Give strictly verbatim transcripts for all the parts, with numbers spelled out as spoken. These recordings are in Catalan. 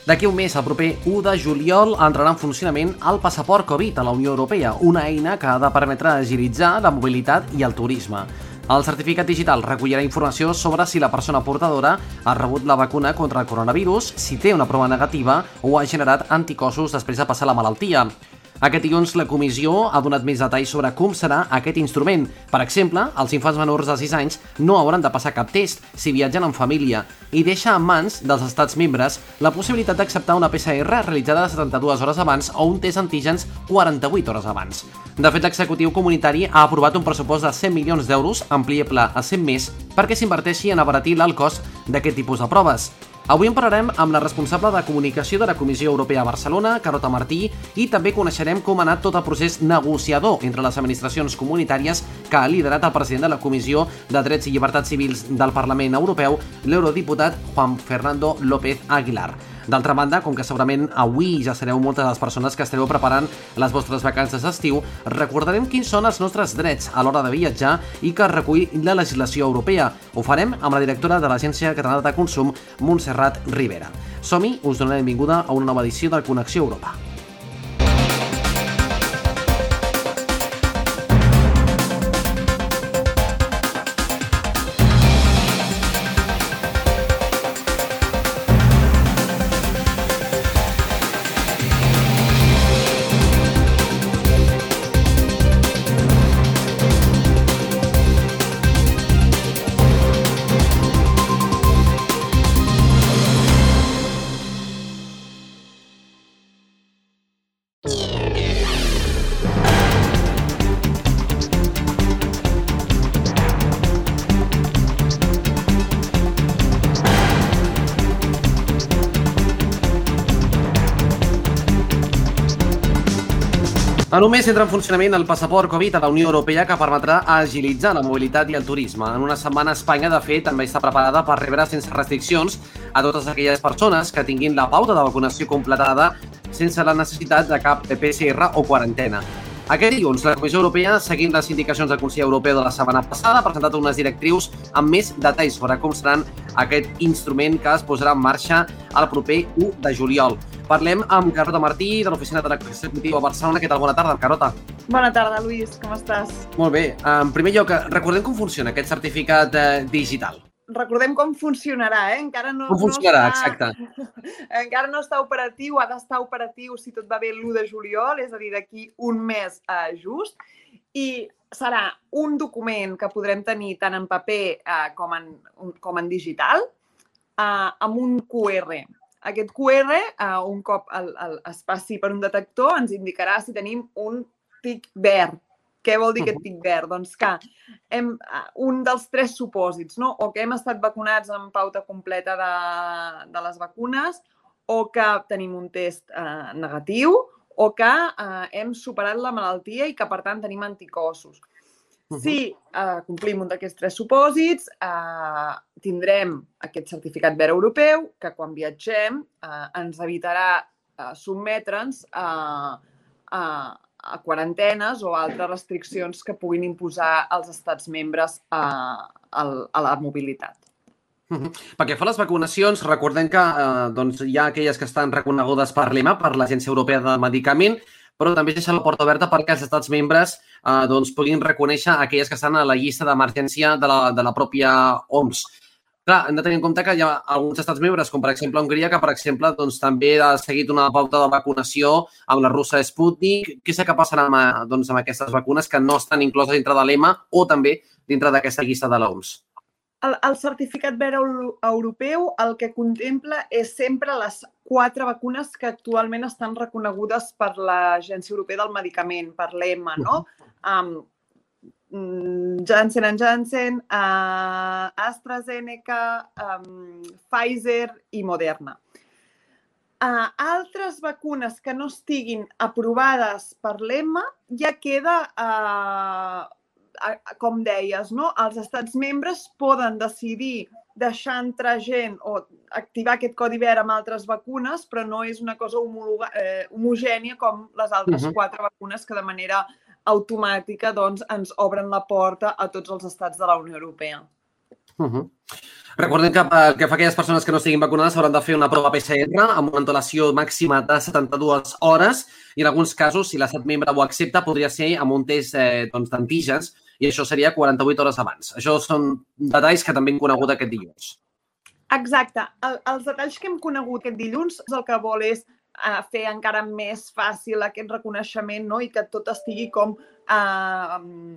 D'aquí un mes, el proper u de juliol, entrarà en funcionament el passaport Covid a la Unió Europea, una eina que ha de permetre agilitzar la mobilitat i el turisme. El certificat digital recollirà informació sobre si la persona portadora ha rebut la vacuna contra el coronavirus, si té una prova negativa o ha generat anticossos després de passar la malaltia. Aquest dilluns la comissió ha donat més detalls sobre com serà aquest instrument. Per exemple, els infants menors de sis anys no hauran de passar cap test si viatgen en família i deixa en mans dels estats membres la possibilitat d'acceptar una P C R realitzada setanta-dues hores abans o un test antígens quaranta-vuit hores abans. De fet, l'executiu comunitari ha aprovat un pressupost de cent milions d'euros, ampliable a cent més, perquè s'inverteixi en abaratir l'alt cost d'aquest tipus de proves. Avui en parlarem amb la responsable de comunicació de la Comissió Europea a Barcelona, Carota Martí, i també coneixerem com ha anat tot el procés negociador entre les administracions comunitàries que ha liderat el president de la Comissió de Drets i Llibertats Civils del Parlament Europeu, l'eurodiputat Juan Fernando López Aguilar. D'altra banda, com que segurament avui ja sereu moltes de les persones que estareu preparant les vostres vacances d'estiu, recordarem quins són els nostres drets a l'hora de viatjar i que recull la legislació europea. Ho farem amb la directora de l'Agència Catalana de Consum, Montserrat Rivera. Som-hi, us donem la benvinguda a una nova edició de Connexió Europa. En un mes entra en funcionament el passaport Covid a la Unió Europea que permetrà agilitzar la mobilitat i el turisme. En una setmana Espanya, de fet, també està preparada per rebre sense restriccions a totes aquelles persones que tinguin la pauta de vacunació completada sense la necessitat de cap P C R o quarantena. Aquest dilluns, la Comissió Europea, seguint les indicacions del Consell Europeu de la setmana passada, ha presentat unes directrius amb més detalls sobre com seran aquest instrument que es posarà en marxa el proper u de juliol. Parlem amb Carota Martí, de l'Oficina de l'Executiu a Barcelona. Què tal? Bona tarda, Carota. Bona tarda, Lluís. Com estàs? Molt bé. En primer lloc, recordem com funciona aquest certificat eh, digital. Recordem com funcionarà, eh? Encara no, com funcionarà, no està, exacte. Encara no està operatiu, ha d'estar operatiu si tot va bé l'u de juliol, és a dir, d'aquí un mes eh, just, i serà un document que podrem tenir tant en paper eh, com, en, com en digital, eh, amb un Q R. Aquest Q R, eh, un cop el, el, es passi per un detector, ens indicarà si tenim un tic verd. Què vol dir aquest tic verd? Doncs que hem, un dels tres supòsits, no? O que hem estat vacunats amb pauta completa de, de les vacunes, o que tenim un test eh, negatiu, o que eh, hem superat la malaltia i que, per tant, tenim anticossos. Si eh, complim un d'aquests tres supòsits, eh, tindrem aquest certificat verd europeu que quan viatgem eh, ens evitarà eh, sotmetre'ns a, a, a quarantenes o altres restriccions que puguin imposar els estats membres a, a, a la mobilitat. Uh-huh. Pel que fa a les vacunacions, recordem que eh, doncs, hi ha aquelles que estan reconegudes per l'E M A, per l'Agència Europea del Medicament, però també es deixa la porta oberta perquè els estats membres eh, doncs, puguin reconèixer aquelles que estan a la llista d'emergència de, la, de la pròpia O M S. Clar, hem de tenir en compte que hi ha alguns estats membres, com per exemple Hongria, que per exemple doncs, també ha seguit una pauta de vacunació amb la russa Sputnik. Què sé que passarà amb, doncs, amb aquestes vacunes que no estan incloses dintre de l'E M A o també dintre d'aquesta llista de l'O M S? El, el certificat verd europeu el que contempla és sempre les quatre vacunes que actualment estan reconegudes per l'Agència Europea del Medicament, per l'E M A, no? Um, Janssen and Janssen, uh, AstraZeneca, um, Pfizer i Moderna. Uh, altres vacunes que no estiguin aprovades per l'E M A ja queda... Uh, com deies, no? Els estats membres poden decidir deixar entrar gent o activar aquest codi verd amb altres vacunes, però no és una cosa homologa, eh, homogènia com les altres uh-huh. quatre vacunes que de manera automàtica doncs, ens obren la porta a tots els estats de la Unió Europea. Uh-huh. Recordem que, eh, que fa aquelles persones que no estiguin vacunades hauran de fer una prova P C R amb una antelació màxima de setanta-dues hores i en alguns casos, si l'estat membre ho accepta, podria ser amb un test eh, doncs, d'antígens i això seria quaranta-vuit hores abans. Això són detalls que també hem conegut aquest dilluns. Exacte. El, els detalls que hem conegut aquest dilluns el que vol és uh, fer encara més fàcil aquest reconeixement, no? I que tot estigui com uh, um,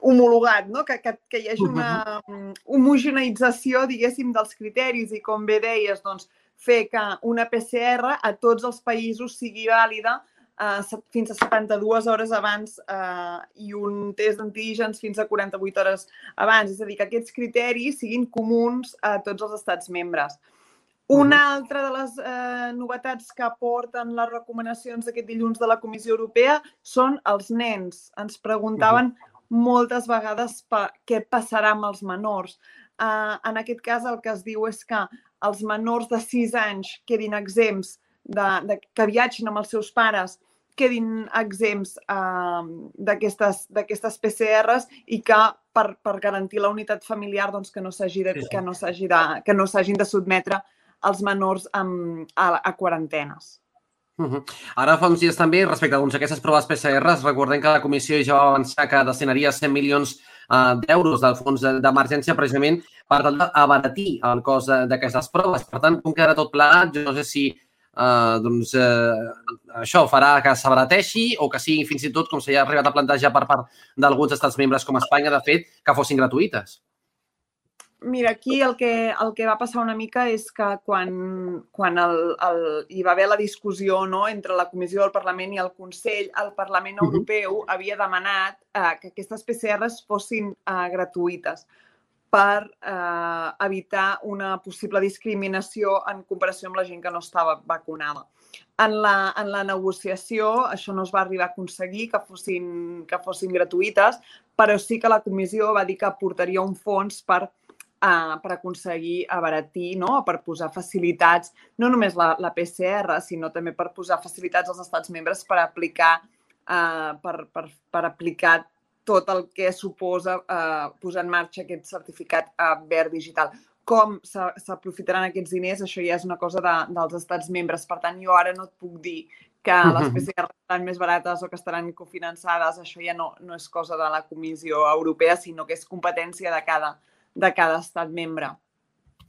homologat, no? que, que, que hi hagi una um, homogeneïtzació, diguéssim, dels criteris i, com bé deies, doncs, fer que una P C R a tots els països sigui vàlida Uh, fins a setanta-dues hores abans uh, i un test d'antígens fins a quaranta-vuit hores abans. És a dir, que aquests criteris siguin comuns a tots els estats membres. Una altra de les uh, novetats que aporten les recomanacions d'aquest dilluns de la Comissió Europea són els nens. Ens preguntaven moltes vegades per què passarà amb els menors. Uh, en aquest cas, el que es diu és que els menors de sis anys quedin exempts de, de, que viatgin amb els seus pares quedin exempts uh, d'aquestes P C Rs i que per, per garantir la unitat familiar doncs, que no s'hagi de, sí, sí. que no s'hagi de, que no s'hagin de sotmetre els menors um, a, a quarantenes. Uh -huh. Ara fa uns dies també, respecte doncs, a aquestes proves P C Rs, recordem que la Comissió ja va avançar que destinaria cent milions uh, d'euros del fons d'emergència precisament per tal d'abaratir el cost d'aquestes proves. Per tant, com quedarà tot plegat, jo no sé si Uh, doncs uh, això farà que s'abarateixi o que sigui fins i tot, com s'ha arribat a plantejar per part d'alguns estats membres com Espanya, de fet, que fossin gratuïtes. Mira, aquí el que, el que va passar una mica és que quan, quan el, el, hi va haver la discussió, no, entre la Comissió del Parlament i el Consell, el Parlament Europeu uh-huh. havia demanat uh, que aquestes P C Rs fossin uh, gratuïtes per eh, evitar una possible discriminació en comparació amb la gent que no estava vacunada. En la, en la negociació això no es va arribar a aconseguir que fossin, que fossin gratuïtes, però sí que la comissió va dir que aportaria un fons per, eh, per aconseguir abaratir, no? Per posar facilitats, no només la, la P C R, sinó també per posar facilitats als estats membres per aplicar, eh, per, per, per aplicar tot el que suposa eh, posar en marxa aquest certificat eh, verd digital. Com s'aprofitaran aquests diners, això ja és una cosa de, dels estats membres. Per tant, jo ara no et puc dir que les P C R estaran més barates o que estaran cofinançades. Això ja no, no és cosa de la Comissió Europea, sinó que és competència de cada, de cada estat membre.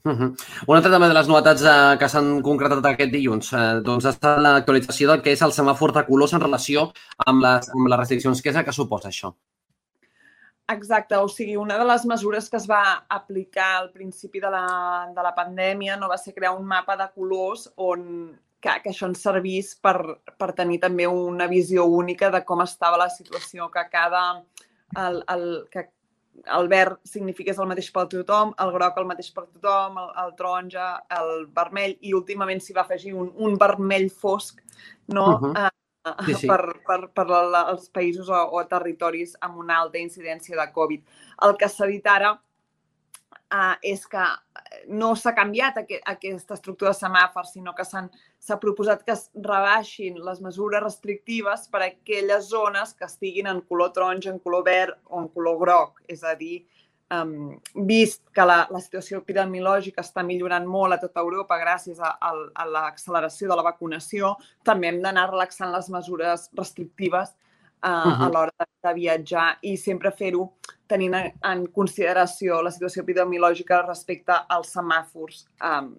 Uh-huh. Una altra també de les novetats eh, que s'han concretat aquest dilluns eh, doncs ha estat l'actualització del que és el semàfor de colors en relació amb les, amb les restriccions. Què és el que suposa això? Exacte, o sigui, una de les mesures que es va aplicar al principi de la, de la pandèmia no va ser crear un mapa de colors on que, que això ens servís per, per tenir també una visió única de com estava la situació, que cada... El, el, que el verd signifiqués el mateix per tothom, el groc el mateix per tothom, el, el taronja, el vermell, i últimament s'hi va afegir un, un vermell fosc, no?, uh-huh. uh, Sí, sí. per, per, per la, els països o, o territoris amb una alta incidència de Covid. El que s'ha dit ara uh, és que no s'ha canviat aquest, aquesta estructura de semàfors, sinó que s'ha proposat que es rebaixin les mesures restrictives per a aquelles zones que estiguin en color taronja, en color verd o en color groc. És a dir, Um, vist que la, la situació epidemiològica està millorant molt a tota Europa gràcies a, a, a l'acceleració de la vacunació, també hem d'anar relaxant les mesures restrictives uh, uh-huh. a l'hora de, de viatjar i sempre fer-ho tenint en consideració la situació epidemiològica respecte als semàfors um,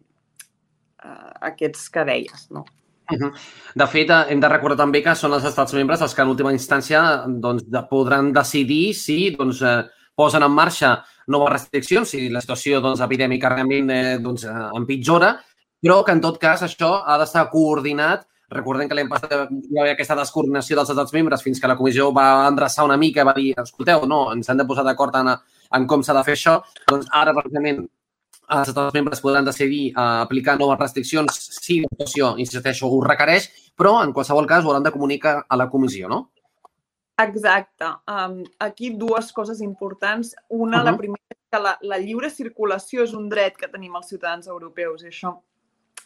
uh, aquests que deies, no? Uh-huh. De fet, hem de recordar també que són els estats membres els que en última instància doncs, podran decidir si doncs, eh, posen en marxa noves restriccions, si la situació doncs, epidèmica realment eh, doncs, empitjora, però que en tot cas això ha d'estar coordinat. Recordem que l'any passat hi va haver aquesta descoordinació dels estats membres fins que la comissió va endreçar una mica i va dir, escolteu, no, ens hem de posar d'acord en, en com s'ha de fer això. Doncs ara, precisament, els estats membres podran decidir uh, aplicar noves restriccions si la situació, insisteixo, ho requereix, però en qualsevol cas ho hauran de comunicar a la comissió, no? Exacte. Um, aquí dues coses importants. Una, uh-huh. la primera, és que la, la lliure circulació és un dret que tenim els ciutadans europeus i això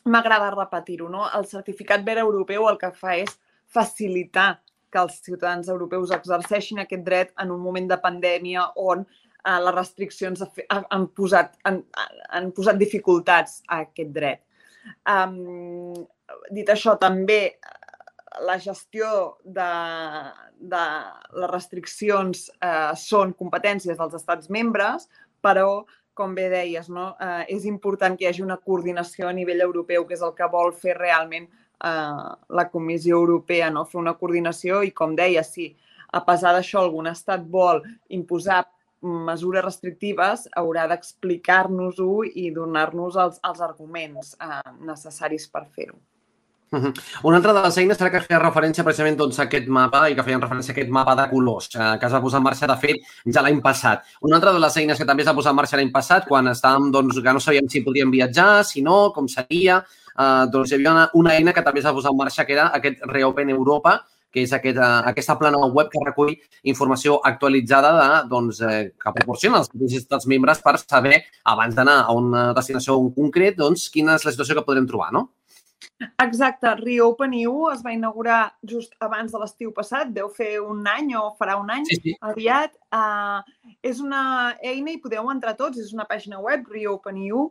m'agrada repetir-ho, no? El certificat verd europeu el que fa és facilitar que els ciutadans europeus exerceixin aquest dret en un moment de pandèmia on uh, les restriccions han posat, han, han posat dificultats a aquest dret. Um, dit això, també la gestió de, de les restriccions uh, són competències dels estats membres, però, com bé deies, no? uh, és important que hi hagi una coordinació a nivell europeu, que és el que vol fer realment uh, la Comissió Europea, no? Fer una coordinació i, com deia, si a pesar d'això algun estat vol imposar mesures restrictives, haurà d'explicar-nos-ho i donar-nos els, els arguments eh, necessaris per fer-ho. Uh-huh. Una altra de les eines era que feia referència precisament doncs, a aquest mapa i que feien referència a aquest mapa de colors eh, que es va posar en marxa, de fet, ja l'any passat. Una altra de les eines que també es va posar en marxa l'any passat, quan estàvem, doncs, que no sabíem si podíem viatjar, si no, com seria, eh, doncs hi havia una, una eina que també es va posar en marxa, que era aquest Reopen Europa, que és aquest, uh, aquesta plana web que recull informació actualitzada de, doncs, eh, que proporciona els estats membres per saber, abans d'anar a una destinació concret, doncs, quina és la situació que podrem trobar, no? Exacte. Reopen E U es va inaugurar just abans de l'estiu passat, deu fer un any o farà un any, sí, sí. aviat. Uh, és una eina i podeu entrar tots, és una pàgina web, Reopen E U,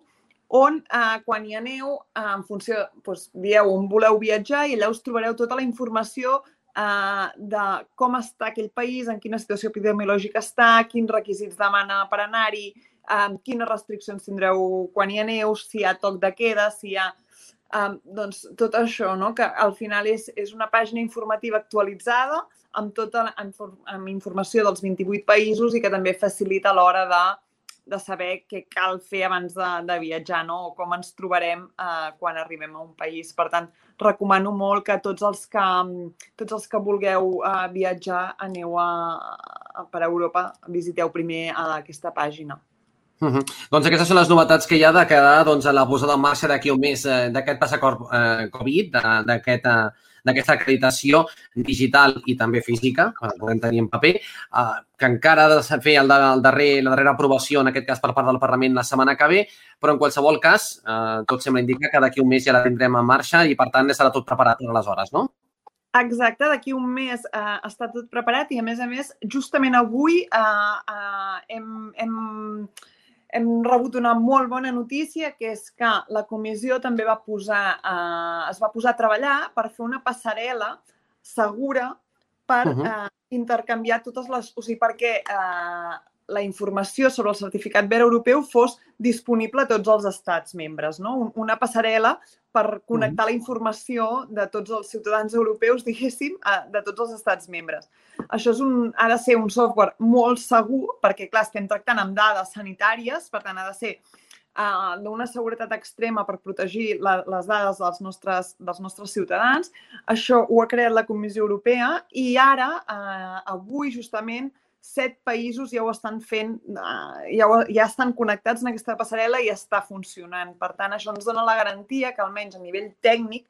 on uh, quan hi aneu, uh, en funció, doncs, dieu on voleu viatjar i allà us trobareu tota la informació Uh, de com està aquell país, en quina situació epidemiològica està, quins requisits demana per anar-hi, um, quines restriccions tindreu quan hi aneu, si hi ha toc de queda, si hi ha... Um, doncs tot això, no? Que al final és, és una pàgina informativa actualitzada amb tota la, amb, amb informació dels vint-i-vuit països i que també facilita a l'hora de, de saber què cal fer abans de, de viatjar, no? O com ens trobarem uh, quan arribem a un país. Per tant, recomano molt que tots els que, tots els que vulgueu uh, viatjar aneu a, a, per Europa, visiteu primer a aquesta pàgina. Uh-huh. Doncs aquestes són les novetats que hi ha de quedar doncs, a la posada en marxa d'aquí un mes eh, d'aquest passaport eh, Covid, d'aquesta aquest, eh, acreditació digital i també física, que podem tenir en paper, eh, que encara ha de fer el, el darrer, la darrera aprovació, en aquest cas per part del Parlament, la setmana que ve, però en qualsevol cas, eh, tot sembla indicar que d'aquí un mes ja la tindrem en marxa i, per tant, estarà tot preparat per aleshores, no? Exacte, d'aquí un mes eh, està tot preparat i, a més a més, justament avui eh, eh, hem, hem, hem rebut una molt bona notícia, que és que la comissió també va posar, eh, es va posar a treballar per fer una passarel·la segura per uh-huh. eh, intercanviar totes les... O sigui, perquè eh, la informació sobre el certificat verd europeu fos disponible a tots els estats membres, no? Una passarel·la per connectar la informació de tots els ciutadans europeus, diguéssim, de tots els estats membres. Això és un, ha de ser un software molt segur, perquè, clar, estem tractant amb dades sanitàries, per tant, ha de ser uh, d'una seguretat extrema per protegir la, les dades dels nostres, dels nostres ciutadans. Això ho ha creat la Comissió Europea i ara, uh, avui, justament, set països ja ho estan fent, ja, ho, ja estan connectats en aquesta passarel·la i està funcionant. Per tant, això ens dona la garantia que, almenys a nivell tècnic,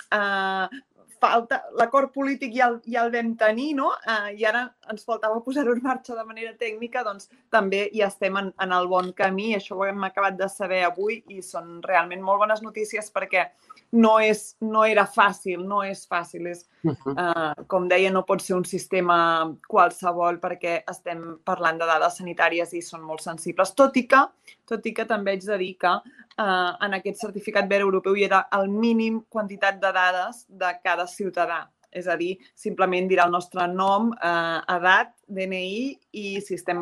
eh, falta l'acord polític ja el, ja el vam tenir, no? Eh, I ara ens faltava posar-ho en marxa de manera tècnica, doncs també ja estem en, en el bon camí. Això ho hem acabat de saber avui i són realment molt bones notícies perquè no, és, no era fàcil, no és fàcil. És, uh, com deia, no pot ser un sistema qualsevol perquè estem parlant de dades sanitàries i són molt sensibles. Tot i que, tot i que també haig de dir que uh, en aquest certificat verd europeu hi era el mínim quantitat de dades de cada ciutadà. És a dir, simplement dirà el nostre nom, eh, edat, D N I i si estem,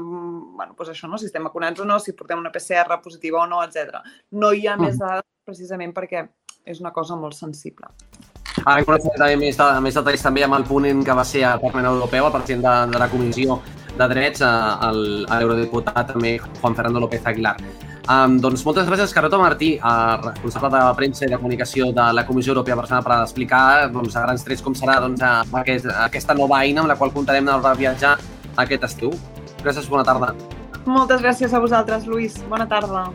bueno, doncs això, no? Si estem vacunats o no, si portem una P C R positiva o no, etcètera. No hi ha uh-huh. més dades precisament perquè és una cosa molt sensible. Ara coneixem també més, de, més detalls també amb el ponent que va ser al Parlament Europeu, el president de, de la Comissió de Drets, l'eurodiputat també Juan Fernando López Aguilar. Um, doncs moltes gràcies, Carlota Martí, responsable de premsa i de comunicació de la Comissió Europea Barcelona, per explicar doncs, a grans trets com serà doncs, aquest, aquesta nova eina amb la qual comptarem de viatjar aquest estiu. Gràcies, bona tarda. Moltes gràcies a vosaltres, Lluís. Bona tarda.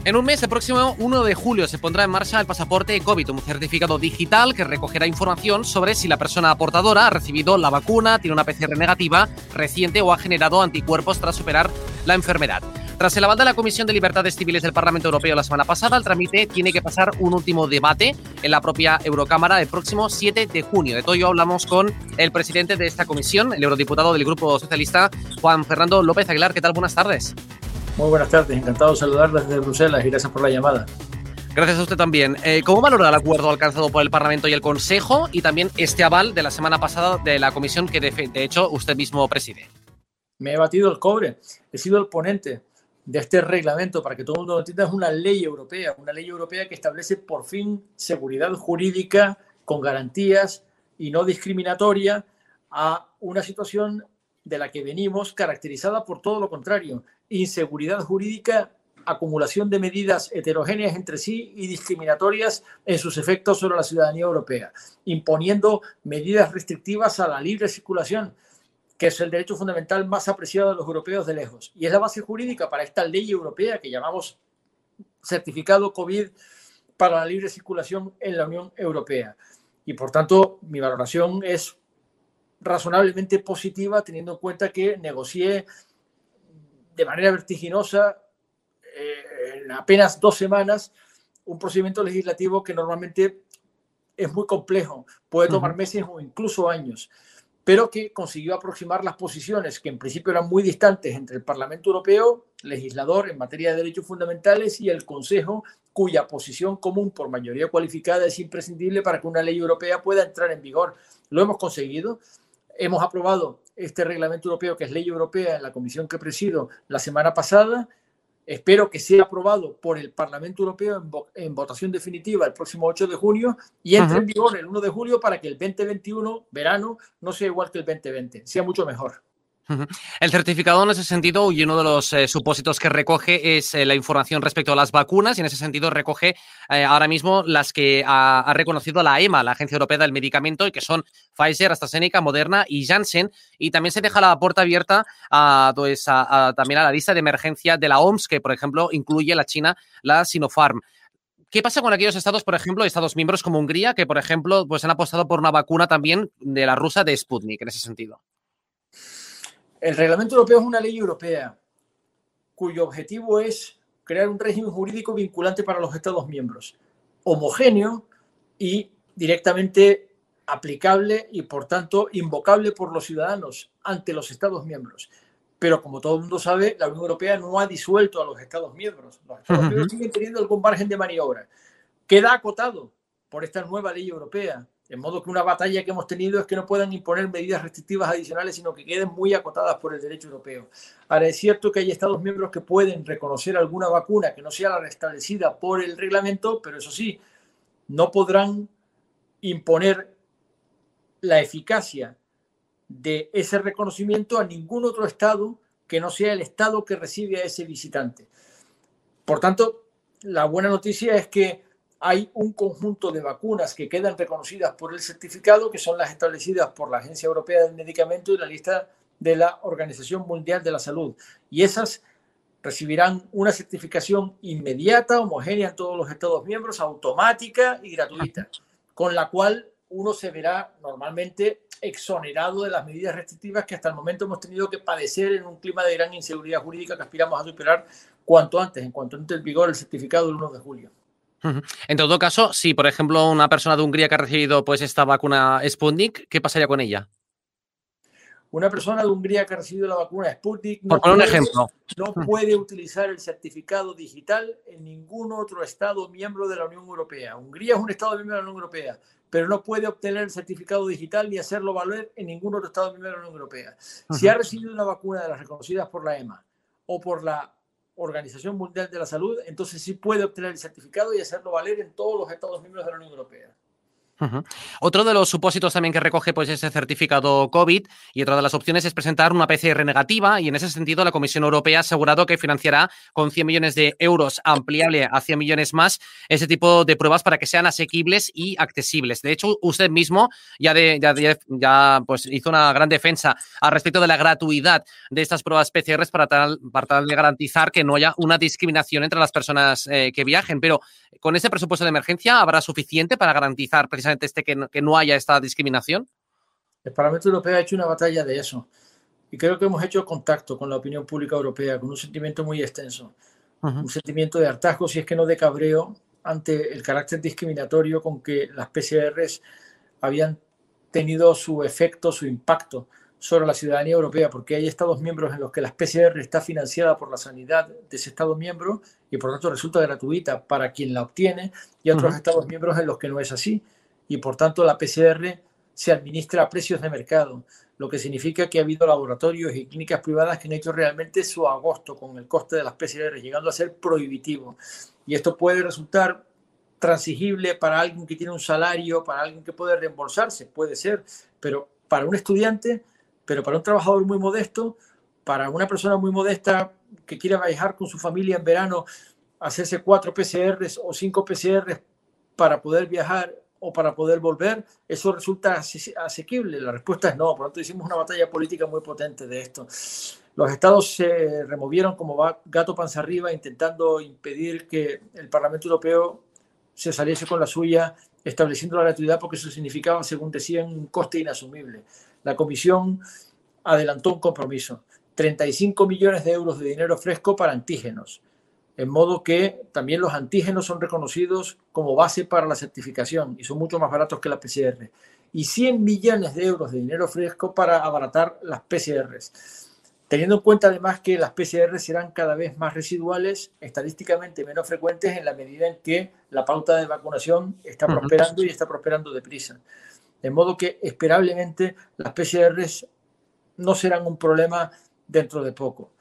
En un mes, el próximo uno de julio, se pondrá en marcha el pasaporte COVID, un certificado digital que recogerá información sobre si la persona portadora ha recibido la vacuna, tiene una P C R negativa reciente o ha generado anticuerpos tras superar la enfermedad. Tras el aval de la Comisión de Libertades Civiles del Parlamento Europeo la semana pasada, el trámite tiene que pasar un último debate en la propia Eurocámara el próximo siete de junio. De todo ello hablamos con el presidente de esta comisión, el eurodiputado del Grupo Socialista, Juan Fernando López Aguilar. ¿Qué tal? Buenas tardes. Muy buenas tardes, encantado de saludarles desde Bruselas y gracias por la llamada. Gracias a usted también. Eh, ¿Cómo valora el acuerdo alcanzado por el Parlamento y el Consejo y también este aval de la semana pasada de la comisión que de, de hecho usted mismo preside? Me he batido el cobre, he sido el ponente de este reglamento, para que todo el mundo lo entienda. Es una ley europea, una ley europea que establece por fin seguridad jurídica con garantías y no discriminatoria a una situación de la que venimos caracterizada por todo lo contrario: inseguridad jurídica, acumulación de medidas heterogéneas entre sí y discriminatorias en sus efectos sobre la ciudadanía europea, imponiendo medidas restrictivas a la libre circulación, que es el derecho fundamental más apreciado de los europeos de lejos. Y es la base jurídica para esta ley europea que llamamos certificado COVID para la libre circulación en la Unión Europea. Y por tanto, mi valoración es razonablemente positiva, teniendo en cuenta que negocié de manera vertiginosa eh, en apenas dos semanas un procedimiento legislativo que normalmente es muy complejo, puede tomar uh-huh. meses o incluso años, pero que consiguió aproximar las posiciones que en principio eran muy distantes entre el Parlamento Europeo, legislador en materia de derechos fundamentales, y el Consejo, cuya posición común por mayoría cualificada es imprescindible para que una ley europea pueda entrar en vigor. Lo hemos conseguido. Hemos aprobado este reglamento europeo, que es ley europea, en la comisión que presido la semana pasada. Espero que sea aprobado por el Parlamento Europeo en, vo en votación definitiva el próximo ocho de junio y entre uh-huh. en vigor el uno de julio, para que el veinte veintiuno, verano, no sea igual que el veinte veinte, sea mucho mejor. El certificado, en ese sentido, y uno de los eh, supósitos que recoge es eh, la información respecto a las vacunas, y en ese sentido recoge eh, ahora mismo las que ha, ha reconocido la EMA, la Agencia Europea del Medicamento, y que son Pfizer, AstraZeneca, Moderna y Janssen. Y también se deja la puerta abierta a, pues, a, a, también a la lista de emergencia de la O M S, que, por ejemplo, incluye la China, la Sinopharm. ¿Qué pasa con aquellos estados, por ejemplo, estados miembros como Hungría, que, por ejemplo, pues han apostado por una vacuna también de la rusa de Sputnik, en ese sentido? El reglamento europeo es una ley europea cuyo objetivo es crear un régimen jurídico vinculante para los Estados miembros, homogéneo y directamente aplicable y, por tanto, invocable por los ciudadanos ante los Estados miembros. Pero, como todo el mundo sabe, la Unión Europea no ha disuelto a los Estados miembros. Los Estados uh-huh. miembros siguen teniendo algún margen de maniobra. Queda acotado por esta nueva ley europea. De modo que una batalla que hemos tenido es que no puedan imponer medidas restrictivas adicionales, sino que queden muy acotadas por el derecho europeo. Ahora, es cierto que hay Estados miembros que pueden reconocer alguna vacuna que no sea la restablecida por el reglamento, pero eso sí, no podrán imponer la eficacia de ese reconocimiento a ningún otro Estado que no sea el Estado que recibe a ese visitante. Por tanto, la buena noticia es que hay un conjunto de vacunas que quedan reconocidas por el certificado, que son las establecidas por la Agencia Europea del Medicamento y la lista de la Organización Mundial de la Salud. Y esas recibirán una certificación inmediata, homogénea en todos los Estados miembros, automática y gratuita, con la cual uno se verá normalmente exonerado de las medidas restrictivas que hasta el momento hemos tenido que padecer en un clima de gran inseguridad jurídica que aspiramos a superar cuanto antes, en cuanto entre en vigor el certificado del uno de julio. En todo caso, si por ejemplo una persona de Hungría que ha recibido pues esta vacuna Sputnik, ¿qué pasaría con ella? Una persona de Hungría que ha recibido la vacuna Sputnik no, por poner puede, un ejemplo. no puede utilizar el certificado digital en ningún otro Estado miembro de la Unión Europea. Hungría es un Estado miembro de la Unión Europea, pero no puede obtener el certificado digital ni hacerlo valer en ningún otro Estado miembro de la Unión Europea. Uh-huh. Si ha recibido una vacuna de las reconocidas por la EMA o por la Organización Mundial de la Salud, entonces sí puede obtener el certificado y hacerlo valer en todos los Estados miembros de la Unión Europea. Uh-huh. Otro de los supósitos también que recoge pues ese certificado COVID y otra de las opciones es presentar una P C R negativa y en ese sentido la Comisión Europea ha asegurado que financiará con cien millones de euros ampliable a cien millones más ese tipo de pruebas para que sean asequibles y accesibles. De hecho, usted mismo ya, de, ya, de, ya pues hizo una gran defensa al respecto de la gratuidad de estas pruebas P C R para tal, para tal de garantizar que no haya una discriminación entre las personas eh, que viajen. Pero con ese presupuesto de emergencia, ¿habrá suficiente para garantizar precisamente este que no, que no haya esta discriminación? El Parlamento Europeo ha hecho una batalla de eso y creo que hemos hecho contacto con la opinión pública europea con un sentimiento muy extenso, uh-huh. un sentimiento de hartazgo, si es que no de cabreo, ante el carácter discriminatorio con que las P C Rs habían tenido su efecto, su impacto sobre la ciudadanía europea, porque hay Estados miembros en los que la P C R está financiada por la sanidad de ese Estado miembro y por lo tanto resulta gratuita para quien la obtiene, y otros uh-huh. Estados miembros en los que no es así. Y por tanto la P C R se administra a precios de mercado, lo que significa que ha habido laboratorios y clínicas privadas que han hecho realmente su agosto con el coste de las P C R, llegando a ser prohibitivo. Y esto puede resultar transigible para alguien que tiene un salario, para alguien que puede reembolsarse, puede ser, pero para un estudiante, pero para un trabajador muy modesto, para una persona muy modesta que quiera viajar con su familia en verano, hacerse cuatro P C Rs o cinco P C Rs para poder viajar o para poder volver, eso resulta asequible. La respuesta es no. Por lo tanto, hicimos una batalla política muy potente de esto. Los estados se removieron como gato panza arriba, intentando impedir que el Parlamento Europeo se saliese con la suya, estableciendo la gratuidad, porque eso significaba, según decían, un coste inasumible. La Comisión adelantó un compromiso, treinta y cinco millones de euros de dinero fresco para antígenos, en modo que también los antígenos son reconocidos como base para la certificación y son mucho más baratos que la P C R. Y cien millones de euros de dinero fresco para abaratar las P C Rs. Teniendo en cuenta además que las P C R serán cada vez más residuales, estadísticamente menos frecuentes en la medida en que la pauta de vacunación está prosperando y está prosperando deprisa. De modo que esperablemente las P C Rs no serán un problema dentro de poco.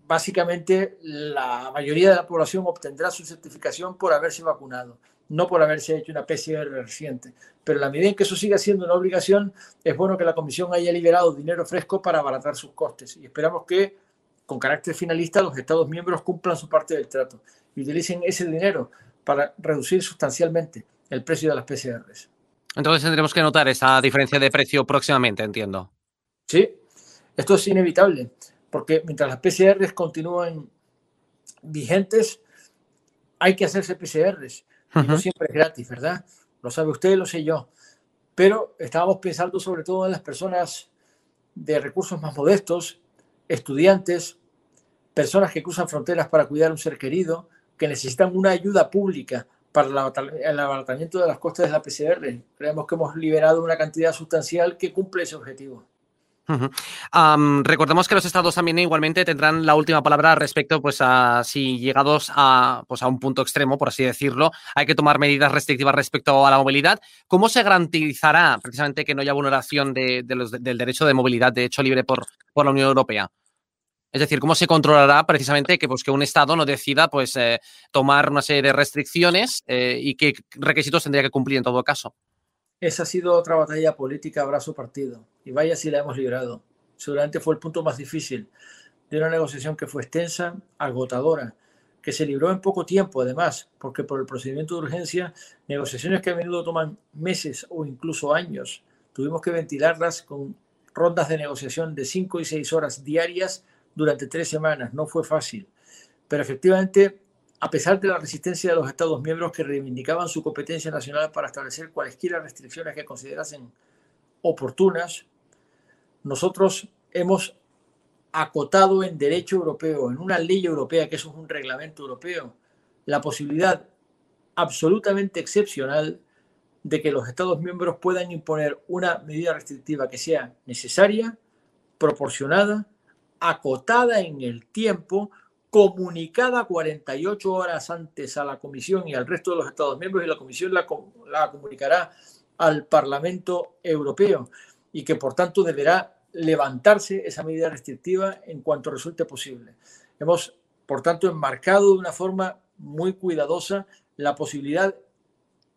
Básicamente, la mayoría de la población obtendrá su certificación por haberse vacunado, no por haberse hecho una P C R reciente. Pero en la medida en que eso siga siendo una obligación, es bueno que la Comisión haya liberado dinero fresco para abaratar sus costes. Y esperamos que, con carácter finalista, los Estados miembros cumplan su parte del trato y utilicen ese dinero para reducir sustancialmente el precio de las P C Rs. Entonces tendremos que notar esa diferencia de precio próximamente, entiendo. Sí, esto es inevitable, porque mientras las P C Rs continúan vigentes, hay que hacerse P C Rs. Uh-huh. Y no siempre es gratis, ¿verdad? Lo sabe usted, lo sé yo. Pero estábamos pensando sobre todo en las personas de recursos más modestos, estudiantes, personas que cruzan fronteras para cuidar a un ser querido, que necesitan una ayuda pública para el abaratamiento de las costes de la P C R. Creemos que hemos liberado una cantidad sustancial que cumple ese objetivo. Uh-huh. Um, recordemos que los estados también igualmente tendrán la última palabra respecto pues a si llegados a, pues, a un punto extremo, por así decirlo, hay que tomar medidas restrictivas respecto a la movilidad. ¿Cómo se garantizará precisamente que no haya vulneración de, de los, de, del derecho de movilidad, de hecho libre por, por la Unión Europea? Es decir, ¿cómo se controlará precisamente que, pues, que un Estado no decida pues, eh, tomar una serie de restricciones eh, y qué requisitos tendría que cumplir en todo caso? Esa ha sido otra batalla política a brazo partido. Y vaya si la hemos librado. Seguramente fue el punto más difícil de una negociación que fue extensa, agotadora, que se libró en poco tiempo además, porque por el procedimiento de urgencia, negociaciones que a menudo toman meses o incluso años, tuvimos que ventilarlas con rondas de negociación de cinco y seis horas diarias durante tres semanas. No fue fácil. Pero efectivamente, a pesar de la resistencia de los Estados miembros que reivindicaban su competencia nacional para establecer cualesquiera restricciones que considerasen oportunas, nosotros hemos acotado en derecho europeo, en una ley europea, que eso es un reglamento europeo, la posibilidad absolutamente excepcional de que los Estados miembros puedan imponer una medida restrictiva que sea necesaria, proporcionada, acotada en el tiempo, comunicada cuarenta y ocho horas antes a la Comisión y al resto de los Estados miembros, y la Comisión la, la comunicará al Parlamento Europeo, y que por tanto deberá levantarse esa medida restrictiva en cuanto resulte posible. Hemos, por tanto, enmarcado de una forma muy cuidadosa la posibilidad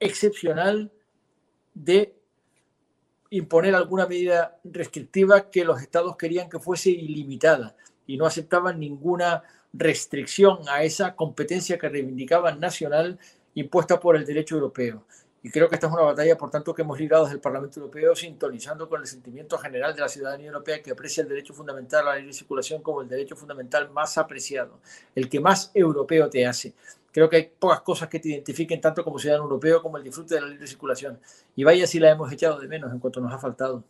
excepcional de imponer alguna medida restrictiva que los estados querían que fuese ilimitada y no aceptaban ninguna restricción a esa competencia que reivindicaban nacional impuesta por el derecho europeo. Y creo que esta es una batalla, por tanto, que hemos librado desde el Parlamento Europeo, sintonizando con el sentimiento general de la ciudadanía europea, que aprecia el derecho fundamental a la libre circulación como el derecho fundamental más apreciado, el que más europeo te hace. Creo que hay pocas cosas que te identifiquen tanto como ciudadano europeo como el disfrute de la libre circulación. Y vaya si la hemos echado de menos en cuanto nos ha faltado.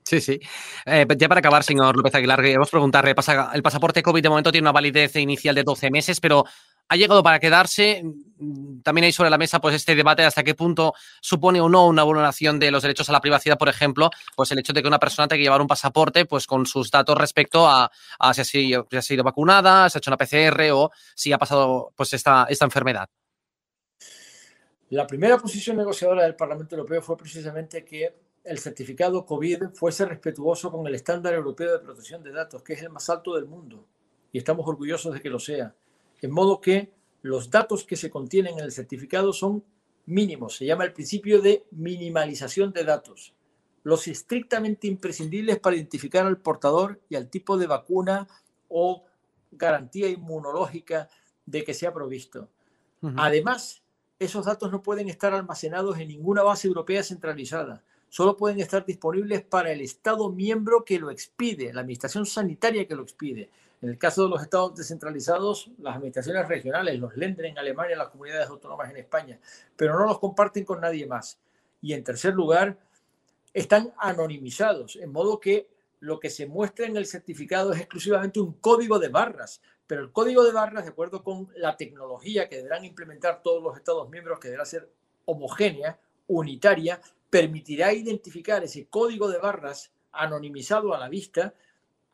Sí, sí. Eh, ya para acabar, señor López Aguilar, queremos preguntarle, el pasaporte COVID de momento tiene una validez inicial de doce meses, pero ha llegado para quedarse. También hay sobre la mesa pues este debate de hasta qué punto supone o no una vulneración de los derechos a la privacidad, por ejemplo, pues el hecho de que una persona tenga que llevar un pasaporte pues con sus datos respecto a, a si, ha sido, si ha sido vacunada, si ha hecho una P C R o si ha pasado pues esta, esta enfermedad. La primera posición negociadora del Parlamento Europeo fue precisamente que el certificado COVID fuese respetuoso con el estándar europeo de protección de datos, que es el más alto del mundo, y estamos orgullosos de que lo sea. En modo que los datos que se contienen en el certificado son mínimos. Se llama el principio de minimalización de datos. Los estrictamente imprescindibles para identificar al portador y al tipo de vacuna o garantía inmunológica de que sea provisto. Uh-huh. Además, esos datos no pueden estar almacenados en ninguna base europea centralizada. Solo pueden estar disponibles para el Estado miembro que lo expide, la administración sanitaria que lo expide. En el caso de los estados descentralizados, las administraciones regionales, los Länder en Alemania, las comunidades autónomas en España, pero no los comparten con nadie más. Y en tercer lugar, están anonimizados, en modo que lo que se muestra en el certificado es exclusivamente un código de barras, pero el código de barras, de acuerdo con la tecnología que deberán implementar todos los estados miembros, que deberá ser homogénea, unitaria, permitirá identificar ese código de barras anonimizado a la vista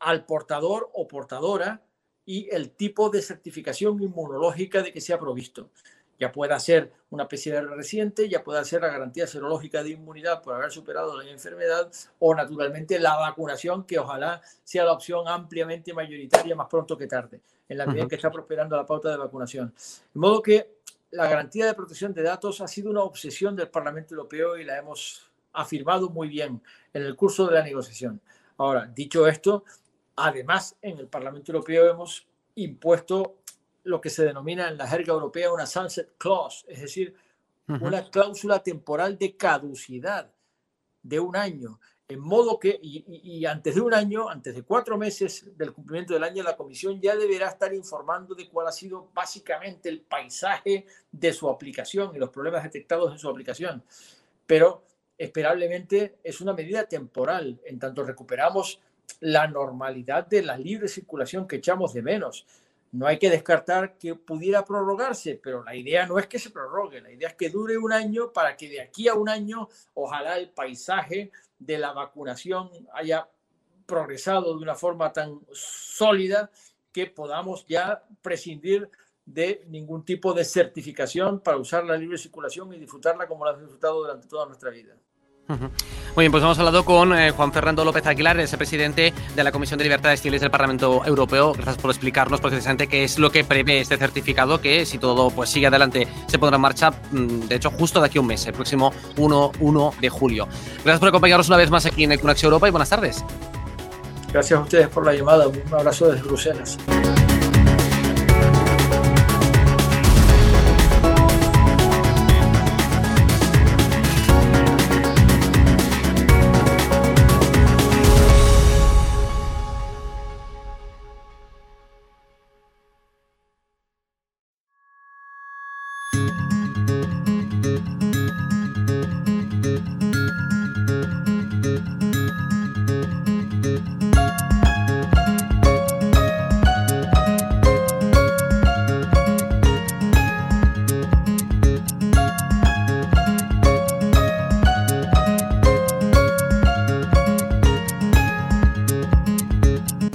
al portador o portadora y el tipo de certificación inmunológica de que sea provisto. Ya pueda ser una P C R reciente, ya pueda ser la garantía serológica de inmunidad por haber superado la enfermedad o, naturalmente, la vacunación, que ojalá sea la opción ampliamente mayoritaria más pronto que tarde, en la medida en que está prosperando la pauta de vacunación. De modo que la garantía de protección de datos ha sido una obsesión del Parlamento Europeo y la hemos afirmado muy bien en el curso de la negociación. Ahora, dicho esto, además, en el Parlamento Europeo hemos impuesto lo que se denomina en la jerga europea una sunset clause, es decir, uh-huh. una cláusula temporal de caducidad de un año, en modo que, y, y, y antes de un año, antes de cuatro meses del cumplimiento del año, la Comisión ya deberá estar informando de cuál ha sido básicamente el paisaje de su aplicación y los problemas detectados en su aplicación. Pero, esperablemente, es una medida temporal, en tanto recuperamos la normalidad de la libre circulación que echamos de menos. No hay que descartar que pudiera prorrogarse, pero la idea no es que se prorrogue, la idea es que dure un año para que de aquí a un año ojalá el paisaje de la vacunación haya progresado de una forma tan sólida que podamos ya prescindir de ningún tipo de certificación para usar la libre circulación y disfrutarla como la hemos disfrutado durante toda nuestra vida. Uh-huh. Muy bien, pues hemos hablado con eh, Juan Fernando López Aguilar, es el presidente de la Comisión de Libertades Civiles del Parlamento Europeo. Gracias por explicarnos precisamente qué es lo que prevé este certificado, que si todo pues sigue adelante se pondrá en marcha, de hecho, justo de aquí a un mes, el próximo uno de julio. Gracias por acompañarnos una vez más aquí en el Conexión Europa y buenas tardes. Gracias a ustedes por la llamada. Un abrazo desde Bruselas.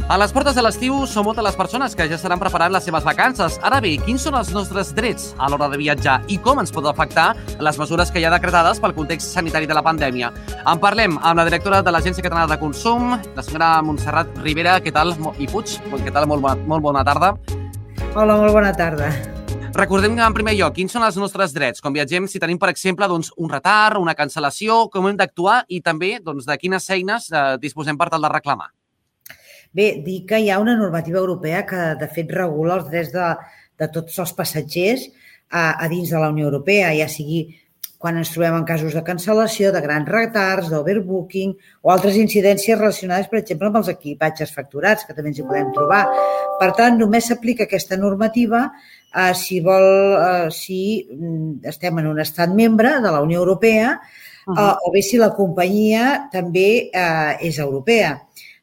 A les portes de l'estiu són moltes les persones que ja estaran preparant les seves vacances. Ara bé, quins són els nostres drets a l'hora de viatjar i com ens pot afectar les mesures que hi ha decretades pel context sanitari de la pandèmia? En parlem amb la directora de l'Agència Catalana de Consum, la senyora Montserrat Ribera. Què tal? I Puig, què tal? Molt bona, molt bona tarda. Hola, molt bona tarda. Recordem en primer lloc quins són els nostres drets quan viatgem, si tenim, per exemple, doncs, un retard, una cancel·lació, com hem d'actuar i també doncs, de quines eines eh, disposem per tal de reclamar. Bé, dir que hi ha una normativa europea que, de fet, regula els drets de, de tots els passatgers a, a dins de la Unió Europea, ja sigui quan ens trobem en casos de cancel·lació, de grans retards, d'overbooking o altres incidències relacionades, per exemple, amb els equipatges facturats, que també ens hi podem trobar. Per tant, només s'aplica aquesta normativa eh, si, vol, eh, si estem en un estat membre de la Unió Europea uh-huh. eh, o bé si la companyia també eh, és europea.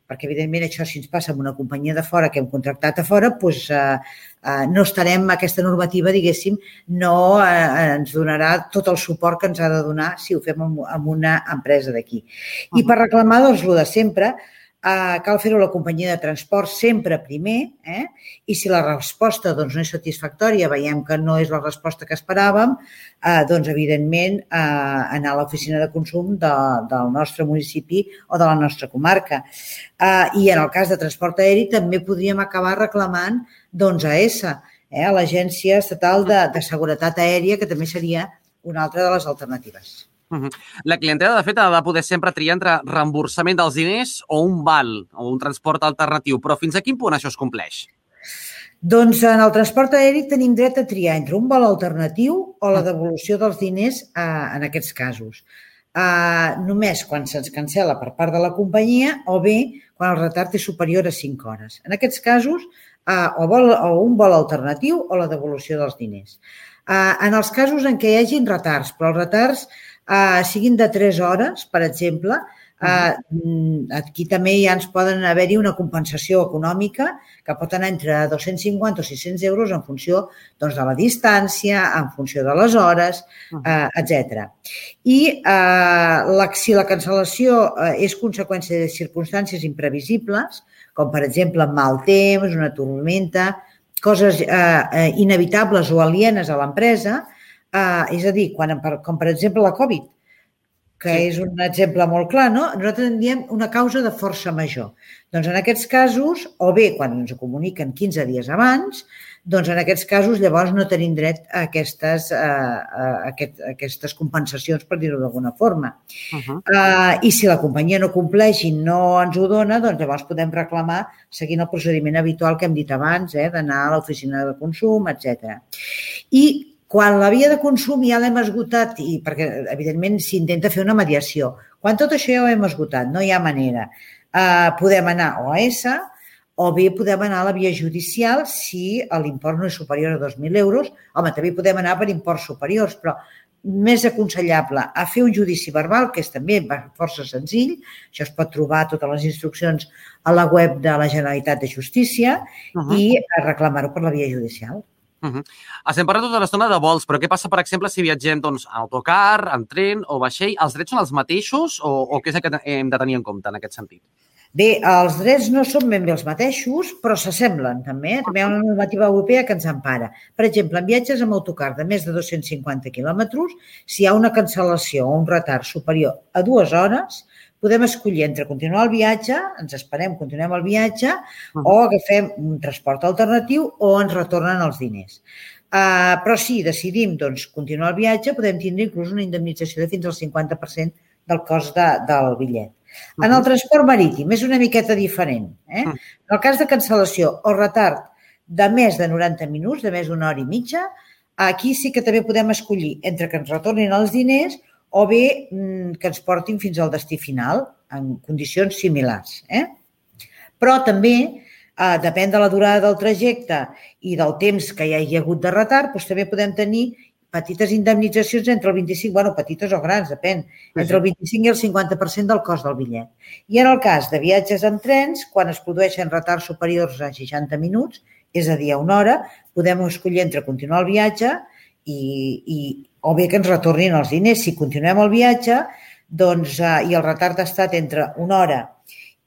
Perquè, evidentment, això, si ens passa amb una companyia de fora que hem contractat a fora, doncs, eh, eh, no estarem, aquesta normativa, diguéssim, no eh, ens donarà tot el suport que ens ha de donar si ho fem amb, amb una empresa d'aquí. Uh-huh. I per reclamar, doncs, el de sempre, eh, cal fer-ho a la companyia de transport sempre primer, eh? I si la resposta doncs, no és satisfactòria, veiem que no és la resposta que esperàvem, eh, doncs, evidentment, eh, anar a l'oficina de consum de, del nostre municipi o de la nostra comarca. Uh, I en el cas de transport aeri també podríem acabar reclamant doncs, a E S A, eh, a l'Agència Estatal de, de Seguretat Aèria, que també seria una altra de les alternatives. Uh-huh. La clientela, de fet, ha de poder sempre triar entre reemborsament dels diners o un val o un transport alternatiu, però fins a quin punt això es compleix? Doncs en el transport aeri tenim dret a triar entre un val alternatiu o la devolució dels diners eh, en aquests casos. Uh, només quan se'ns cancel·la per part de la companyia o bé quan el retard és superior a cinc hores. En aquests casos, uh, o, vol, o un vol alternatiu o la devolució dels diners. Uh, en els casos en què hi hagin retards, però els retards uh, siguin de tres hores, per exemple, uh, aquí també ja ens poden haver-hi una compensació econòmica que pot anar entre dos-cents cinquanta o sis-cents euros en funció doncs, de la distància, en funció de les hores, eh, etcètera. I eh, la, si la cancel·lació eh, és conseqüència de circumstàncies imprevisibles, com per exemple mal temps, una tormenta, coses eh, eh, inevitables o alienes a l'empresa, eh, és a dir, quan, com per exemple la Covid, que sí. És un exemple molt clar, no? Nosaltres en diem una causa de força major. Doncs en aquests casos, o bé quan ens ho comuniquen quinze dies abans, doncs en aquests casos llavors no tenim dret a aquestes, a, a, aquest, a aquestes compensacions, per dir-ho d'alguna forma. Uh-huh. Uh, I si la companyia no compleix i no ens ho dona, doncs llavors podem reclamar seguint el procediment habitual que hem dit abans, eh, d'anar a l'oficina de consum, etcètera. I quan la via de consum ja l'hem esgotat, i perquè evidentment s'intenta fer una mediació, quan tot això ja ho hem esgotat, no hi ha manera, eh, podem anar o a E S A o bé podem anar a la via judicial si l'import no és superior a dos mil euros. Home, també podem anar per imports superiors, però més aconsellable a fer un judici verbal, que és també força senzill, això es pot trobar totes les instruccions a la web de la Generalitat de Justícia, uh-huh. i reclamar-ho per la via judicial. Uh-huh. Estem parlant tota l'estona de vols, però què passa, per exemple, si viatgem doncs, en autocar, en tren o vaixell? Els drets són els mateixos o, o què és el que hem de tenir en compte en aquest sentit? Bé, els drets no són ben bé els mateixos, però s'assemblen també. També hi ha una normativa europea que ens empara. Per exemple, en viatges amb autocar de més de dos-cents cinquanta quilòmetres, si hi ha una cancel·lació o un retard superior a dues hores, podem escollir entre continuar el viatge, ens esperem, continuem el viatge, uh-huh. o agafem un transport alternatiu o ens retornen els diners. Uh, però si decidim doncs, continuar el viatge, podem tindre inclús una indemnització de fins al cinquanta per cent del cost de, del bitllet. Uh-huh. En el transport marítim és una miqueta diferent. Eh? Uh-huh. En el cas de cancel·lació o retard de més de noranta minuts, de més d'una hora i mitja, aquí sí que també podem escollir entre que ens retornin els diners o bé que ens portin fins al destí final en condicions similars. Eh? Però també, eh, depèn de la durada del trajecte i del temps que hi hagi hagut de retard, doncs també podem tenir petites indemnitzacions entre el vint-i-cinc, bueno, petites o grans, depèn, entre el vint-i-cinc i el cinquanta per cent del cost del bitllet. I en el cas de viatges en trens, quan es produeixen retards superiors a seixanta minuts, és a dir, a una hora, podem escollir entre continuar el viatge i, i o bé que ens retornin els diners. Si continuem el viatge doncs, eh, i el retard ha estat entre una hora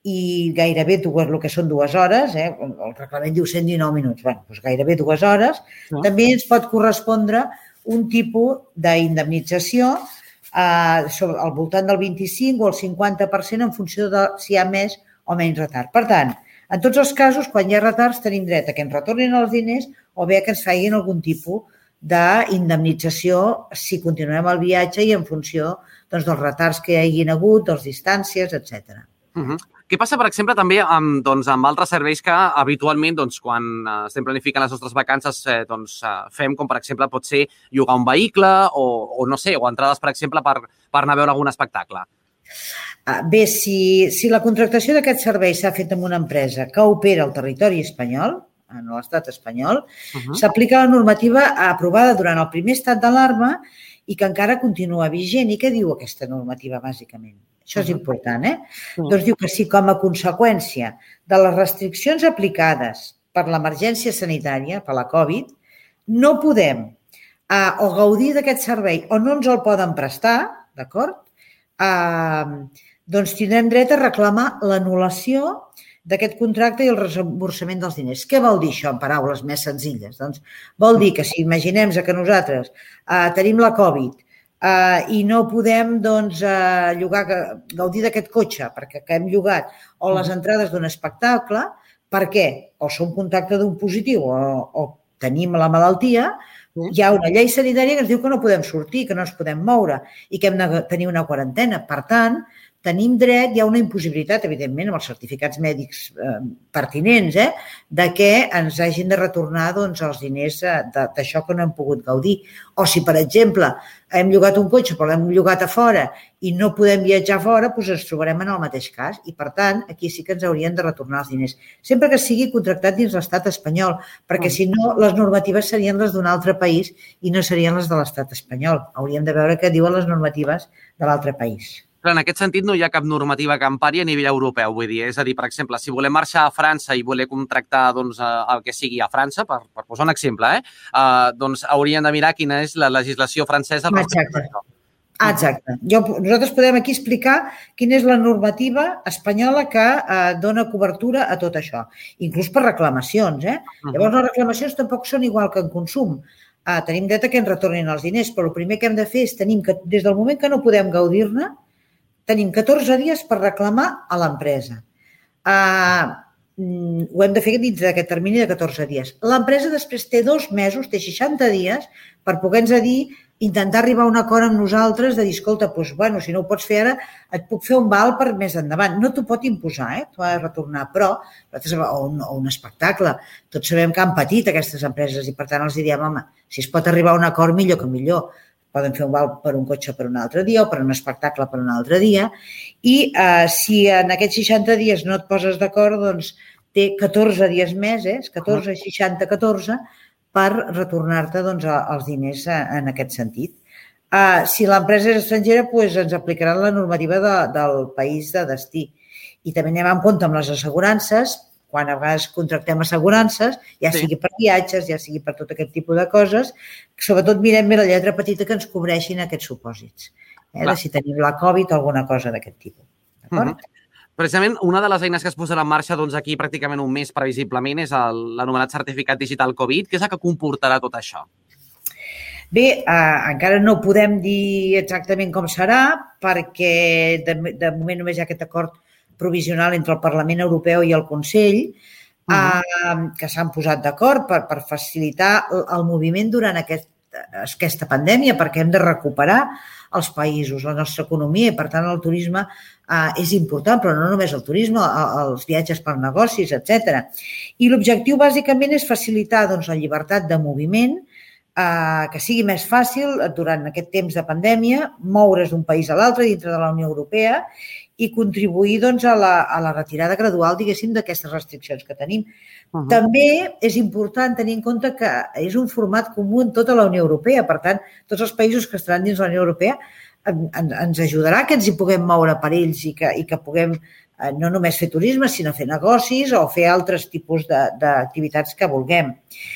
i gairebé dues, el que són dues hores, eh, el reglament diu cent dinou minuts, bueno, doncs gairebé dues hores, no. També ens pot correspondre un tipus d'indemnització eh, sobre, al voltant del vint-i-cinc o el cinquanta per cent en funció de si hi ha més o menys retard. Per tant, en tots els casos, quan hi ha retards, tenim dret a que ens retornin els diners o bé a que ens facin algun tipus d'indemnització si continuem el viatge i en funció doncs, dels retards que hi hagin hagut, de les distàncies, etcètera. Uh-huh. Què passa, per exemple, també amb, doncs, amb altres serveis que habitualment, doncs, quan eh, estem planificant les nostres vacances, eh, doncs, eh, fem, com per exemple pot ser llogar un vehicle o, o no sé, o entrades, per exemple, per, per anar a veure algun espectacle? Bé, si, si la contractació d'aquest servei s'ha fet amb una empresa que opera al territori espanyol, en l'estat espanyol, uh-huh. s'aplica la normativa aprovada durant el primer estat d'alarma i que encara continua vigent. I què diu aquesta normativa, bàsicament? Això és important, eh? Uh-huh. Doncs diu que si com a conseqüència de les restriccions aplicades per l'emergència sanitària, per la Covid, no podem eh, o gaudir d'aquest servei o no ens el poden prestar, d'acord? Eh, doncs tindrem dret a reclamar l'anul·lació d'aquest contracte i el reemborsament dels diners. Què vol dir això en paraules més senzilles? Doncs vol dir que si imaginem que nosaltres eh, tenim la Covid eh, i no podem doncs, eh, llogar, gaudir d'aquest cotxe perquè que hem llogat o les entrades d'un espectacle, per què? O som contacte d'un positiu o, o tenim la malaltia, hi ha una llei sanitària que ens diu que no podem sortir, que no ens podem moure i que hem de tenir una quarantena. Per tant, tenim dret, hi ha una impossibilitat, evidentment, amb els certificats mèdics eh, pertinents, eh, de que ens hagin de retornar doncs, els diners eh, d'això que no hem pogut gaudir. O si, per exemple, hem llogat un cotxe però l'hem llogat a fora i no podem viatjar fora, doncs ens trobarem en el mateix cas i, per tant, aquí sí que ens haurien de retornar els diners. Sempre que sigui contractat dins l'estat espanyol, perquè si no, les normatives serien les d'un altre país i no serien les de l'estat espanyol. Hauríem de veure què diuen les normatives de l'altre país. Però en aquest sentit no hi ha cap normativa que empari a nivell europeu, vull dir, és a dir, per exemple, si volem marxar a França i voler contractar doncs, el que sigui a França, per, per posar un exemple, eh, uh, doncs hauríem de mirar quina és la legislació francesa. Exacte. Exacte. Jo, nosaltres podem aquí explicar quina és la normativa espanyola que eh, dona cobertura a tot això, inclús per reclamacions. Eh? Uh-huh. Llavors, les reclamacions tampoc són igual que en consum. Uh, tenim dret a que ens retornin els diners, però el primer que hem de fer és tenir que, des del moment que no podem gaudir-ne, tenim catorze dies per reclamar a l'empresa. Uh, ho hem de fer dins d'aquest termini de catorze dies. L'empresa després té dos mesos, té seixanta dies, per poder-nos dir, intentar arribar a un acord amb nosaltres de dir, escolta, doncs, bueno, si no ho pots fer ara, et puc fer un val per més endavant. No t'ho pot imposar, eh? T'ho ha de retornar, però, o un, o un espectacle, tots sabem que han patit aquestes empreses i, per tant, els diem, home, si es pot arribar a un acord, millor que millor. Poden fer un val per un cotxe per un altre dia o per un espectacle per un altre dia. I eh, si en aquests seixanta dies no et poses d'acord, doncs té catorze dies més, eh? catorze, seixanta, catorze, per retornar-te doncs, els diners en aquest sentit. Eh, si l'empresa és estrangera, doncs ens aplicaran la normativa de, del país de destí. I també anem en compte amb les assegurances, quan a vegades contractem assegurances, ja sigui per viatges, ja sigui per tot aquest tipus de coses, sobretot mirem bé la lletra petita que ens cobreixin aquests supòsits. Eh? De si tenim la Covid o alguna cosa d'aquest tipus. D'acord? Uh-huh. Precisament, una de les eines que es posarà en marxa doncs, aquí pràcticament un mes previsiblement és l'anomenat certificat digital Covid. Què és el que comportarà tot això? Bé, eh, encara no podem dir exactament com serà perquè de, de moment només hi ha aquest acord provisional entre el Parlament Europeu i el Consell, uh-huh. eh, que s'han posat d'acord per, per facilitar el, el moviment durant aquest, aquesta pandèmia, perquè hem de recuperar els països, la nostra economia, i per tant el turisme eh, és important, però no només el turisme, els viatges per negocis, etcètera. I l'objectiu bàsicament és facilitar doncs, la llibertat de moviment, eh, que sigui més fàcil durant aquest temps de pandèmia, moure's d'un país a l'altre dintre de la Unió Europea i contribuir doncs, a, la, a la retirada gradual, diguéssim, d'aquestes restriccions que tenim. Uh-huh. També és important tenir en compte que és un format comú en tota la Unió Europea. Per tant, tots els països que estaran dins la Unió Europea en, en, ens ajudarà que ens hi puguem moure per ells i que, i que puguem eh, no només fer turisme, sinó fer negocis o fer altres tipus d'activitats que vulguem.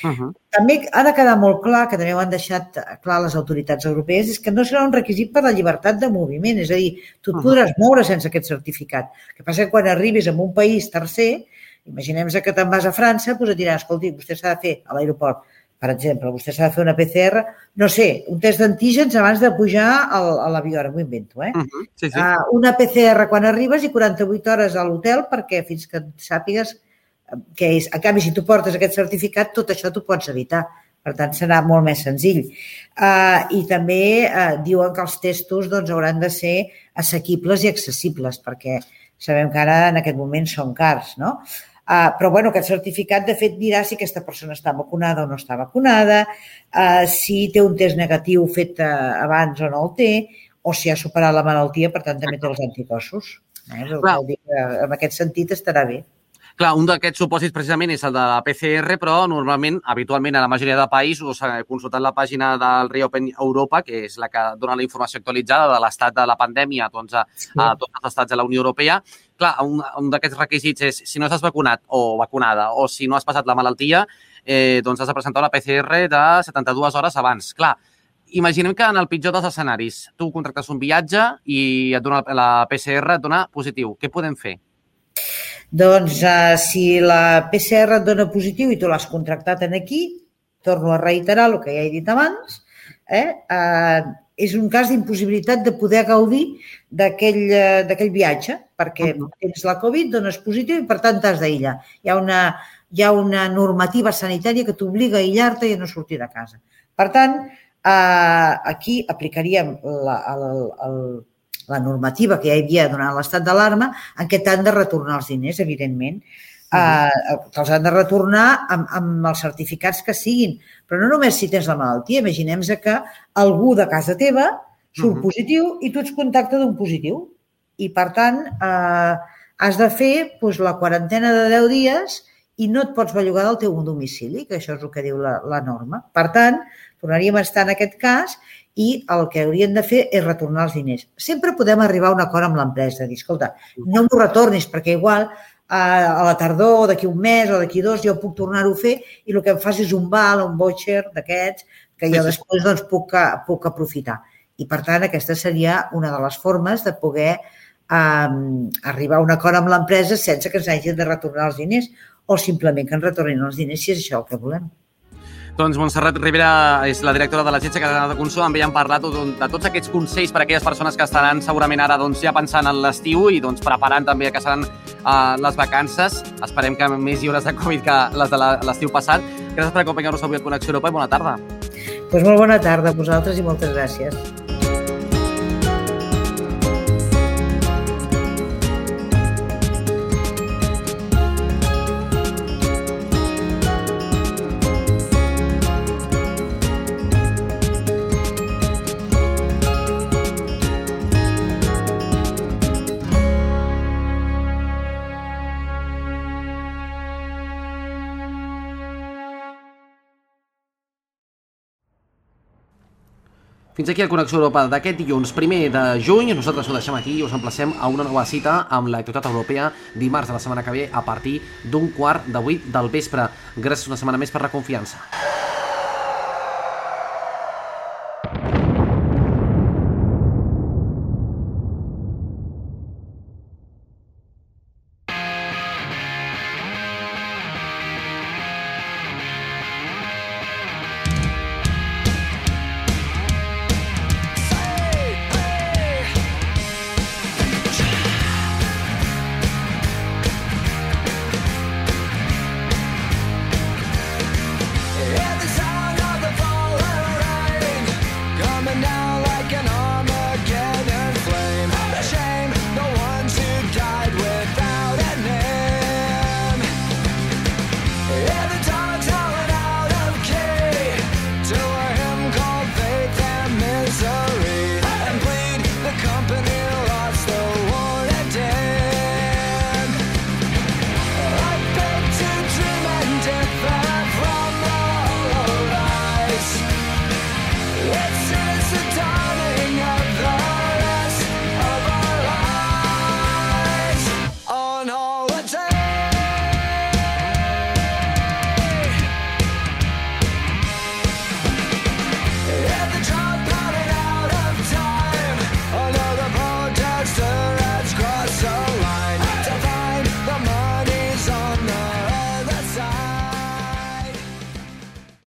Uh-huh. També ha de quedar molt clar, que també ho han deixat clar les autoritats europees, és que no serà un requisit per la llibertat de moviment. És a dir, tu et podràs moure sense aquest certificat. El que passa que quan arribis a un país tercer, imaginem que te'n vas a França, doncs et dirà, escolti, vostè s'ha de fer a l'aeroport, per exemple, vostè s'ha de fer una P C R, no sé, un test d'antígens abans de pujar a l'avió, ara m'ho invento, eh? Uh-huh. Sí, sí. Uh, una P C R quan arribes i quaranta-vuit hores a l'hotel perquè fins que sàpigues què és. En canvi, si tu portes aquest certificat, tot això t'ho pots evitar. Per tant, serà molt més senzill. Uh, I també uh, diuen que els testos doncs, hauran de ser assequibles i accessibles, perquè sabem que ara en aquest moment són cars, no? Uh, però bueno, aquest certificat de fet dirà si aquesta persona està vacunada o no està vacunada, uh, si té un test negatiu fet uh, abans o no el té, o si ha superat la malaltia, per tant també té els anticossos. Eh? Vol dir que en aquest sentit estarà bé. Clar, un d'aquests supòsits precisament és el de la P C R, però normalment, habitualment, a la majoria de països, consultant la pàgina del Reopen Europa, que és la que dona la informació actualitzada de l'estat de la pandèmia doncs, a, a tots els estats de la Unió Europea, clar, un, un d'aquests requisits és si no estàs vacunat o vacunada o si no has passat la malaltia, eh, doncs has de presentar una P C R de setanta-dues hores abans. Clar, imaginem que en el pitjor dels escenaris tu contractes un viatge i et dona la P C R et dona positiu. Què podem fer? Doncs uh, si la P C R et dona positiu i tu l'has contractat en aquí, torno a reiterar el que ja he dit abans, eh? Uh, és un cas d'impossibilitat de poder gaudir d'aquell uh, viatge, perquè tens la Covid, dones positiu i per tant t'has d'aïllar. Hi ha una, hi ha una normativa sanitària que t'obliga a aïllar-te i a no sortir de casa. Per tant, uh, aquí aplicaríem la, el, el, la normativa que ja hi havia durant l'estat d'alarma en què t'han de retornar els diners, evidentment. Uh, te'ls han de retornar amb, amb els certificats que siguin. Però no només si tens la malaltia. Imaginem que algú de casa teva surt uh -huh. positiu i tu ets contacte d'un positiu. I, per tant, uh, has de fer doncs, la quarantena de deu dies i no et pots bellugar del teu domicili, que això és el que diu la, la norma. Per tant, tornaríem a estar en aquest cas i el que haurien de fer és retornar els diners. Sempre podem arribar a un acord amb l'empresa, dir, escolta, no m'ho retornis perquè igual a la tardor o d'aquí un mes o d'aquí dos jo puc tornar-ho a fer i el que em fas és un val o un voucher d'aquests que jo després doncs, puc, puc aprofitar. I, per tant, aquesta seria una de les formes de poder um, arribar a un acord amb l'empresa sense que ens hagin de retornar els diners o simplement que ens retornin els diners si és això el que volem. Doncs Montserrat Ribera és la directora de l'Agència Catalana de Consum. Amb ella hem parlat de tots aquests consells per a aquelles persones que estaran segurament ara doncs, ja pensant en l'estiu i doncs, preparant també que seran uh, les vacances. Esperem que més lliures de Covid que les de l'estiu passat. Gràcies per acompanyar-nos avui a Connexió Europa i bona tarda. Doncs molt bona tarda a vosaltres i moltes gràcies. Fins aquí el Connexió Europa d'aquest dilluns primer de juny. Nosaltres ho deixem aquí i us emplacem a una nova cita amb l'actualitat europea dimarts de la setmana que ve a partir d'un quart de vuit del vespre. Gràcies una setmana més per la confiança. Yeah.